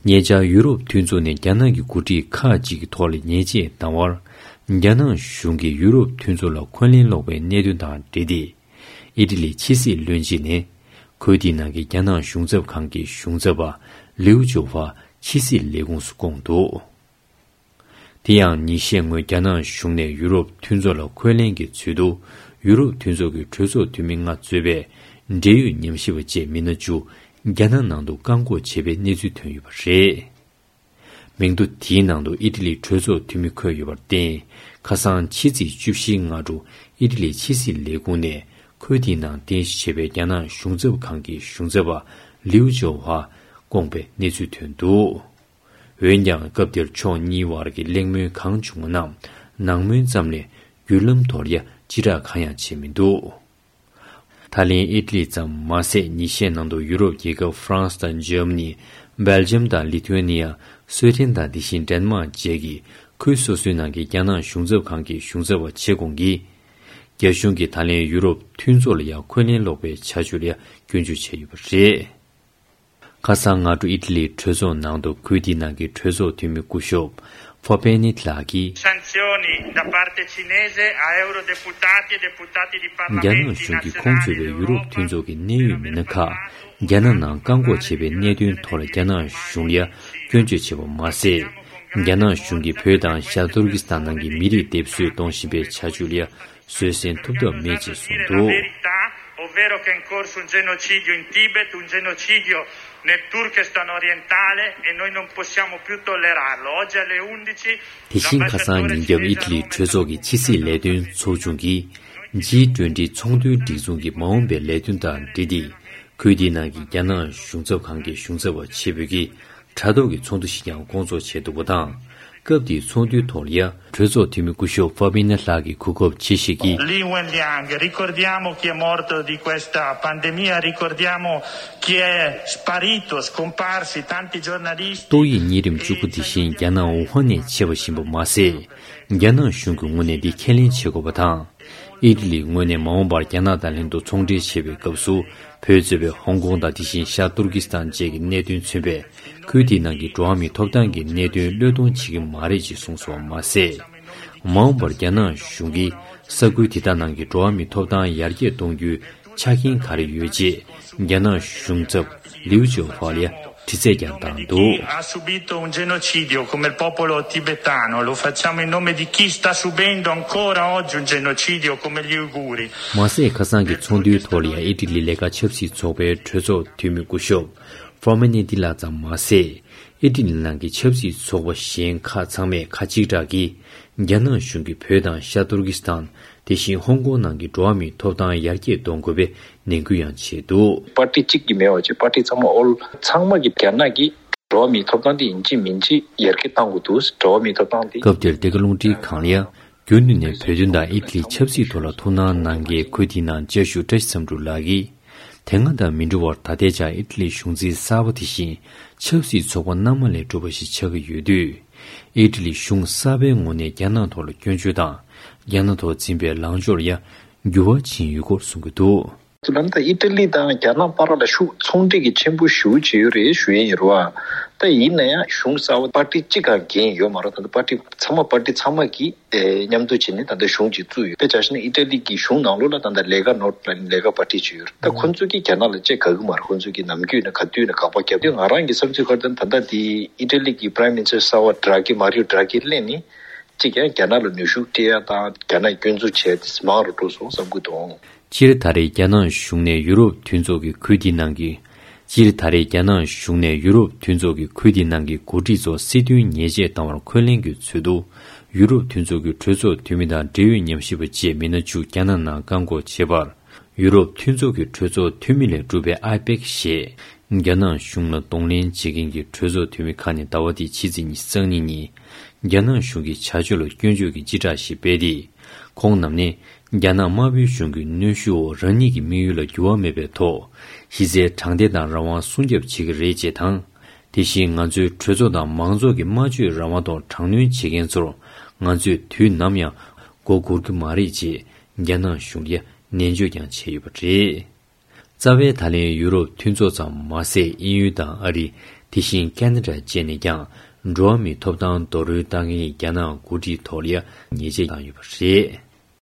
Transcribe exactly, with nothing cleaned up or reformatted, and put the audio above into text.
ཉེ་ཆར་ཡུ་རོབ་མཐུན་ཚོགས་ནས་རྒྱ་ནག་གི་འགོ་ཁྲིད་ཁག་ཅིག་གི་ཐོག་ལ་ཉེས་ཆད་བཏང་བར། རྒྱ་ནག་གཞུང་གིས་ཡུ་རོབ་མཐུན་ཚོགས་ལ་འཁོན་ལན་སློག་པའི་གནད་དོན་དང་འབྲེལ་ཏེ། ཨི་ཊ་ལི་ཕྱི་སྲིད་བློན་ཆེན་ནས། ཁུལ་དེའི་ནང་གི་རྒྱ་ནག་གཞུང་ཚབ་ཁང་གི་གཞུང་ཚབ་པ་ལིའུ་ཅོ་ཧྥ་ཕྱི་སྲིད་ལས་ཁུངས་སུ་བསྐོངས་འདུག། དེ་ཡང་ཉིན་ཤས་སྔོན་རྒྱ་ནག་གཞུང་ནས་ཡུ་རོབ་མཐུན་ཚོགས་ལ་འཁོན་ལན་གྱི་ཚུལ་དུ། ཡུ་རོབ་མཐུན་ཚོགས་ཀྱི་གྲོས་ཚོགས་འཐུས་མི་ལྔ་གཙོས་པའི་འབྲེལ་ཡོད་ཉམས་ཞིབ་པ་བཅས་མི་སྣ་བཅུ་རྒྱ་ནག་ནང་དུ་བཀག་འགོག་བྱས་པའི་གནས་ཚུལ་ཐོན་ཡོད་པ་རེད། མིང་ཐོ་དེའི་ནང་དུ་ཨི་ཊ་ལིའི་གྲོས་ཚོགས་འཐུས་མི་འཁོད་ཡོད་པར་བརྟེན། ཁ་སང་ཕྱི་ཚེས་བཅུ་བཞིའི་སྔ་དྲོ་ཨི་ཊ་ལིའི་ཕྱི་སྲིད་ལས་ཁུངས་ནས་ཁུལ་དེའི་ནང་རྟེན་གཞི་བྱས་པའི་རྒྱ་ནག་གཞུང་ཚབ་ཁང་གི་གཞུང་ཚབ་པ་ལིའུ་ཅོ་ཧྥ་བསྐོངས་པའི་གནས་ཚུལ་ཐོན་འདུག། འོན་ཀྱང་། སྐབས་དེར་ཕྱོགས་གཉིས་བར་གྱི་གླེང་མོལ་གང་བྱུང་བ་རྣམས་ནང་མོལ་ཙམ་ལས། བརྒྱུད་ལམ་ཐོག་ལ་ཡ་ཕྱིར་བསྒྲགས་གང་ཡང་བྱས་མི་འདུག། ད་ལན་ཨི་ཊ་ལི་ཙམ་མ་ཟད། ཉིན་ཤས་ནང་དུ་ཡུ་རོབ་རྒྱལ་ཁབ་ཧྥ་རན་སི་དང་འཇར་མ་ནི། སྦེལ་ཇམ་དང་ལི་ཐུ་ཨེ་ནི་ཡ། སུའེ་ཏེན་དང་དེ་བཞིན་ཌེན་མཱག་བཅས་ཀྱི་ཁུལ་སོ་སོའི་ནང་གི་རྒྱ་ནག་གཞུང་ཚབ་ཁང་གི་གཞུང་ཚབ་པ་ཆེ་ཁོངས་ཀྱིས། རྒྱ་གཞུང་གིས་ད་ལན་ཡུ་རོབ་མཐུན་ཚོགས་ལ་ཡ་འཁོན་ལན་སློག་པའི་བྱ་སྤྱོད་ལ་ཡ་སྐྱོན་བརྗོད་བྱས་ཡོད་པ་རེད། ཁ་སང་སྔ་དྲོ་ཨི་ཊ་ལིའི་གྲོས་ཚོགས་ནང་དུ་ཁུལ་དེའི་ནང་གི་གྲོས་ཚོགས་འཐུས་མི་སྐུ་ཞབས་ཧྥ་པེ་ནི་ལགས་ཀྱིས། Sanzioni da parte cinese a eurodeputati e deputati di རྒྱ་ནག་གཞུང་གིས་ཁོང་གཙོས་པའི་ཡུ་རོབ་མཐུན་ཚོགས་ཀྱི་གནད་ཡོད་མི་སྣ་ཁག་རྒྱ་ནག་ནང་བཀག་འགོག་བྱས་པའི་གནད་དོན་ཐོག་ལ་རྒྱ་ནག་གཞུང་ལ་སྐྱོན་བརྗོད་བྱས་པ་མ་ཟད། རྒྱ་ནག་གཞུང་གིས་བོད་དང་ཤར་ཏུར་ཀི་སི་ཐན་ནང་གི་མི་རིགས་སྡེབ་གསོད་གཏོང་བཞིན་པའི་བྱ་སྤྱོད་ལ་བཟོད་བསྲན་ཐུབ་ཐབས་མེད་ཅེས་གསུངས་འདུག། Ovvero che è in corso un genocidio in Tibet, un genocidio nel Turkestan orientale e noi non possiamo più tollerarlo. Oggi alle undici དེ་བཞིན་ཁ་སང་ཉིན་རྒྱབ་ཨི་ཊ་ལིའི་གྲོས་ཚོགས་ཀྱི་ཕྱི་སྲིད་ལས་དོན་ཚོགས་ཆུང་གིས་ཇི་ཊུ་ཝེན་ཊི་ཚོང་དོན་སྒྲིག་འཛུགས་ཀྱི་མ་འོངས་པའི་ལས་དོན་དང་འབྲེལ་ཏེ། ཁུལ་དེའི་ནང་གི་རྒྱ་ནག་གཞུང་ཚབ་ཁང་གི་གཞུང་ཚབ་པ་ཆེ་བོད་ཀྱིས་དྲ་ཐོག་གི་ཚོགས་འདུ་ཞིག་ཀྱང་བསྐོང་ཚོགས་བྱས་འདུག་པ་དང་། སྐབས་དེའི་ཚོགས་འདུའི་ཐོག་ལ་ཡ། གྲོས་ཚོགས་འཐུས་མི་སྐུ་ཞབས་ཧྥ་པི་ན་ལགས་ཀྱིས་གོ་སྐབས་ཆེ་བཞེས་ཀྱིས། Li Wenliang, ricordiamo chi è morto di questa pandemia, ricordiamo chi è sparito, scomparsi, tanti giornalisti. ཏོག་དབྱིབས་གཉན་རིམས་བཅུ་དགུ་དེ་བཞིན་རྒྱ་ནག་ཝུ་ཧན་ནས་མཆེད་པ་ཡིན་པ་མ་ཟད། རྒྱ་ནག་གཞུང་གི་ངོས་ནས་འདི་ཁས་ལེན་བྱེད་དགོས་པ་དང་། ཨི་ཊ་ལིའི་ངོས་ནས་མ་འོངས་པར་རྒྱ་ནག་དང་ལྷན་དུ་ཚོང་འབྲེལ་བྱེད་པའི་སྐབས་སུ། བོད་གཙོས་པའི་ཧོང་ཀོང་དང་དེ་བཞིན་ཤར་ཏུར་ཀི་སི་ཐན་བཅས་ཀྱི་གནད་དོན་མཚོན་པའི་ཁུལ་དེའི་ནང་གི་འགྲོ་བ་མིའི་ཐོབ་ཐང་གི་གནད་དོན་བློས་གཏོང་བྱེད་ཀྱི་མ་རེད་ཅེས་གསུངས་སོང་བ་མ་ཟད། མ་འོངས་པར་རྒྱ་ནག་གཞུང་གིས་ས་ཁུལ་དེ་དག་ནང་གི་འགྲོ་བ་མིའི་ཐོབ་ཐང་ཡར་རྒྱས་གཏོང་རྒྱུའི་ཆ་རྐྱེན་ག་རེ་ཡོད་ཅེས་རྒྱ་ནག་གཞུང་ཚབ་ལིའུ་ཅོ་ཧྥ་ལ་དྲི་རྩད་ཀྱང་བཏང་འདུག། Ha subito un genocidio come il popolo tibetano, lo facciamo in nome di chi sta subendo ancora oggi un genocidio come gli uiguri. མ་ཟད། ཁ་སང་གི་ཚོགས་འདུའི་ཐོག་ལ་ཡང་ཨི་ཊ་ལི་ལས་ཀ་ཆབ་སྲིད་ཚོགས་པའི་གྲོས་ཚོགས་འཐུས་མི་སྐུ་ཞབས་ཧྥོ་མེ་ནི་ཏི་ལགས་ཙམ་མ་ཟད། ཨི་ཊ་ལི་ནང་གི་ཆབ་སྲིད་ཚོགས་པ་གཞན་ཁག་ཚང་མས་ཁ་གཅིག་གྲགས་ཀྱིས། རྒྱ་ནག་གཞུང་གིས་བོད་དང་ཤར་ཏུར་ཀི་སི་ཐན། དེ་བཞིན་ཧོང་ཀོང་ནང་གི་འགྲོ་བ་མིའི་ཐོབ་ཐང་ཡར་རྒྱས་གཏོང་དགོས་པའི་ནན་སྐུལ་ཡང་བྱས་འདུག། པར་ཊི་གཅིག་གིས་མེད་པ་བྱས། པར་ཊི་ཚང་མ་ཨོལ་ཚང་མ་གིས་རྒྱ་ནག་གིས་འགྲོ་བ་མིའི་ཐོབ་ཐང་དེ་ཡིན་གཅིག་མིན་གཅིག་ཡར་རྒྱས་གཏང་དགོས་འདུག། འགྲོ་བ་མིའི་ཐོབ་ཐང་དེ། སྐབས་དེར་འདི་ག་རླུང་འཕྲིན་ཁང་ལ་ཡང་། རྒྱུན་དུ་ནས་བོད་དོན་དང་ཨི་ཊ་ལིའི་ཆབ་སྲིད་ཐོག་ལ་ཐུགས་སྣང་གནང་མཁན་ཁུལ་དེའི་ནང་བཅའ་བཞུགས་བཀྲ་ཤིས་བསམ་འགྲུབ་ལགས་ཀྱིས། དེ་སྔ་དང་མི་འདྲ་བར་ད་ལྟའི་ཆར་ཨི་ཊ་ལིའི་གཞུང་འཛིན་གསར་པ་དེ་བཞིན་ཆབ་སྲིད་ཚོགས་པ་སྣ་མང་ལས་གྲུབ་པ་ཞིག་ཆགས་ཀྱི་ཡོད་དུས། ཨི་ཊ་ལིའི་གཞུང་གསར་པའི་ངོས་ནས་རྒྱ་ནག་ཐོག་ལ་སྐྱོན་བརྗོད་དང་། རྒྱ་ནག་ཐོག་འཛིན་པའི་ལངས་ཕྱོགས་ལ་ཡང་འགྱུར་བ་ཕྱིན་ཡོད་སྐོར་གསུང་གི་འདུག། ལམ་ད་ཨི་ཊ་ལི་དང་རྒྱ་ནག་བར་ལ་ཤུགས་ཚོང་འབྲེལ་གྱི་ཆེན་པོ་ཞེ་པོ་ཅིག་ཡོད་རེད་ཞུ་ཡས་ཡིན་རེད་བ། ད་ཡིན་ན་ཡང་གཞུང་གསར་པ་པར་ཊི་གཅིག་ག་འགན་ཡོད་མ་རེད། ད་ལྟ་པར་ཊི་ཚང་མ་པར་ཊི་ཚང་མ་གིས་ཨེ་མཉམ་དུ་བྱས་ནས་ད་ལྟ་གཞུང་ཅིག་བཙུགས་ཡོད། དཔེ་ཆ་བཞག་ན་ཨི་ཊ་ལི་གི་གཞུང་ནང་ལོགས་ལ་ད་ལྟ་ལས་ཀ་ནོར་ལ་ལས་ཀ་པར་ཊི་ཅིག་ཡོད་རེད། ད་ཁོ་ཚོ་གིས་རྒྱ་ནག་ལ་ཅིག་དགའ་གི་མ་རེད། ཁོ་ཚོ་གིས་ནམ་རྒྱུན་ནས་ག་དུས་ནས་དགག་པ་རྒྱབ་དུས། ང་རང་གི་བསམ་ཚུལ་ཁར་ད་ད་ལྟ་དེ་ཨི་ཊ་ལི་གི་པ་རའིམ་མི་ནི་སི་ཊར་གསར་པ་ཌ་ར་གྷི། མ་རིའོ་ཌ་ར་གྷི་སླེབས་ནས་གཅིག་ཀྱང་རྒྱ་ནག་ལ་ནུས་ཤུགས་སྤྲད་ཡ་དང་རྒྱ་ནག་སྐྱོན་འཛུགས་བྱས་ཏེ་མང་རུ་འགྲོ་སོང་བསམ་གྱི་འདུག། སྤྱིར་ད་རེས་རྒྱ་ནག་གཞུང་ནས་ཡུ་རོབ་མཐུན་ཚོགས་ཀྱི་ཁུལ་འདིའི་ནང་གི་སྤྱིར་ད་རེས་རྒྱ་ནག་གཞུང་ནས་ཡུ་རོབ་མཐུན་ཚོགས་ཀྱི་ཁུལ་འདིའི་ནང་གི་འགོ་ཁྲིད་ཚོར་སྲིད་དོན་ཉེས་ཆད་བཏང་བར་འཁོན་ལན་གྱི་ཚུལ་དུ། ཡུ་རོབ་མཐུན་ཚོགས་ཀྱི་གྲོས་ཚོགས་འཐུས་མི་དང་འབྲེལ་ཡོད་ཉམས་ཞིབ་པ་བཅས་མི་སྣ་བཅུ་རྒྱ་ནག་ནང་བཀག་འགོག་བྱས་པར། ཡུ་རོབ་མཐུན་ཚོགས་ཀྱི་གྲོས་ཚོགས་འཐུས་མི་ལས་གྲུབ་པའི་ཨའི་པེག་ཞེས་རྒྱ་ནག་གཞུང་ལ་གདོང་ལེན་བྱེད་མཁན་གྱི་གྲོས་ཚོགས་འཐུས་མི་ཁག་ནས་ཟླ་བ་འདིའི་ཕྱི་ཚེས་ཉི་ཤུ་རྩ་གཉིས་ཉིན། རྒྱ་ནག་གཞུང་གི་བྱ་སྤྱོད་ལ་སྐྱོན་བརྗོད་ཀྱི་སྤྱི་བསྒྲགས་ཤིག་སྤེལ་ཏེ། ཁོང་རྣམས་ནས་རྒྱ་ནག་དམར་པོའི་གཞུང་གི་གནོན་ཤུགས་འོག་རང་ཉིད་ཀྱི་དམིགས་ཡུལ་ལ་འགྱུར་བ་མེད་པའི་ཐོག་གཞི་རྩའི་དྲང་བདེན་དང་རང་དབང་སྲུང་སྐྱོབ་བྱེད་ཀྱི་རེད་ཅེས་དང་། དེ་བཞིན་ང་ཚོའི་གྲོས་ཚོགས་དང་མང་ཚོགས་ཀྱི་སྨྲ་བརྗོད་རང་དབང་ཐོག་དྲག་གནོན་བྱེད་མཁན་ཚོར་ང་ཚོས་དུས་ནམ་ཡང་མགོ་སྒུར་གྱི་མ་རེད་ཅེས་རྒྱ་ནག་གཞུང་ལ་ནན་བརྗོད་ཀྱང་བྱས་ཡོད་པ་རེད། རྩ་བའི་ད་ལན་ཡུ་རོབ་མཐུན་ཚོགས་ཙམ་མ་ཟད། དབྱིན་ཡུལ་དང་ཨ་རི། དེ་བཞིན་ཁེ་ན་ཌ་བཅས་ནས་ཀྱང་འགྲོ་བ་མིའི་ཐོབ་ཐང་རྡོག་རོལ་བཏང་མཁན་རྒྱ་ནག་འགོ་ཁྲིད་ཐོག་ལ་ཉེས་ཆད་བཏང་ཡོད་པ་རེད།